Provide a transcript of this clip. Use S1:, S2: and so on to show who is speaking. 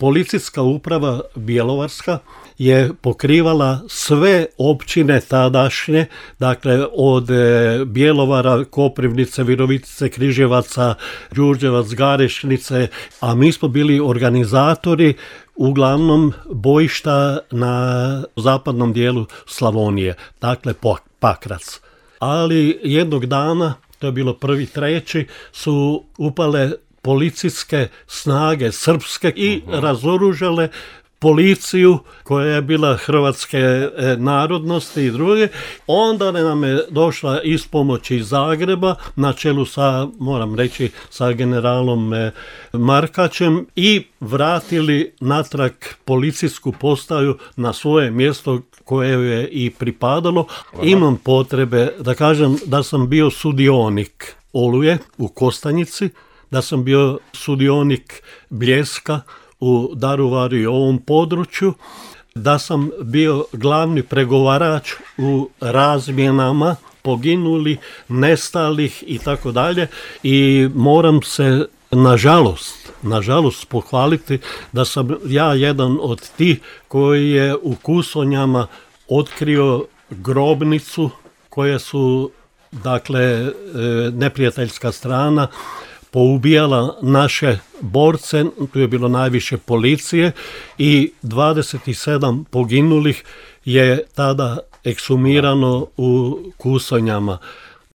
S1: policijska uprava Bjelovarska je pokrivala sve općine tadašnje, dakle od Bjelovara, Koprivnice, Virovitice, Križevaca, Đurđevac, Garešnice, a mi smo bili organizatori uglavnom bojišta na zapadnom dijelu Slavonije, dakle Pakrac. Ali jednog dana, to je bilo 1.3., su upale policijske snage srpske i razoružale policiju koja je bila hrvatske narodnosti i druge. Onda nam je došla ispomoć iz Zagreba na čelu sa, moram reći, sa generalom Markačem i vratili natrag policijsku postaju na svoje mjesto koje je i pripadalo. Imam potrebe da kažem da sam bio sudionik Oluje u Kostanjici, da sam bio sudionik Bljeska u Daruvaru i ovom području, da sam bio glavni pregovarač u razmjenama poginuli, nestalih i tako dalje, i moram se nažalost pohvaliti da sam ja jedan od tih koji je u Kusonjama otkrio grobnicu koje su, dakle, neprijateljska strana poubijala naše borce, tu je bilo najviše policije i 27 poginulih je tada ekshumirano u Kusonjama.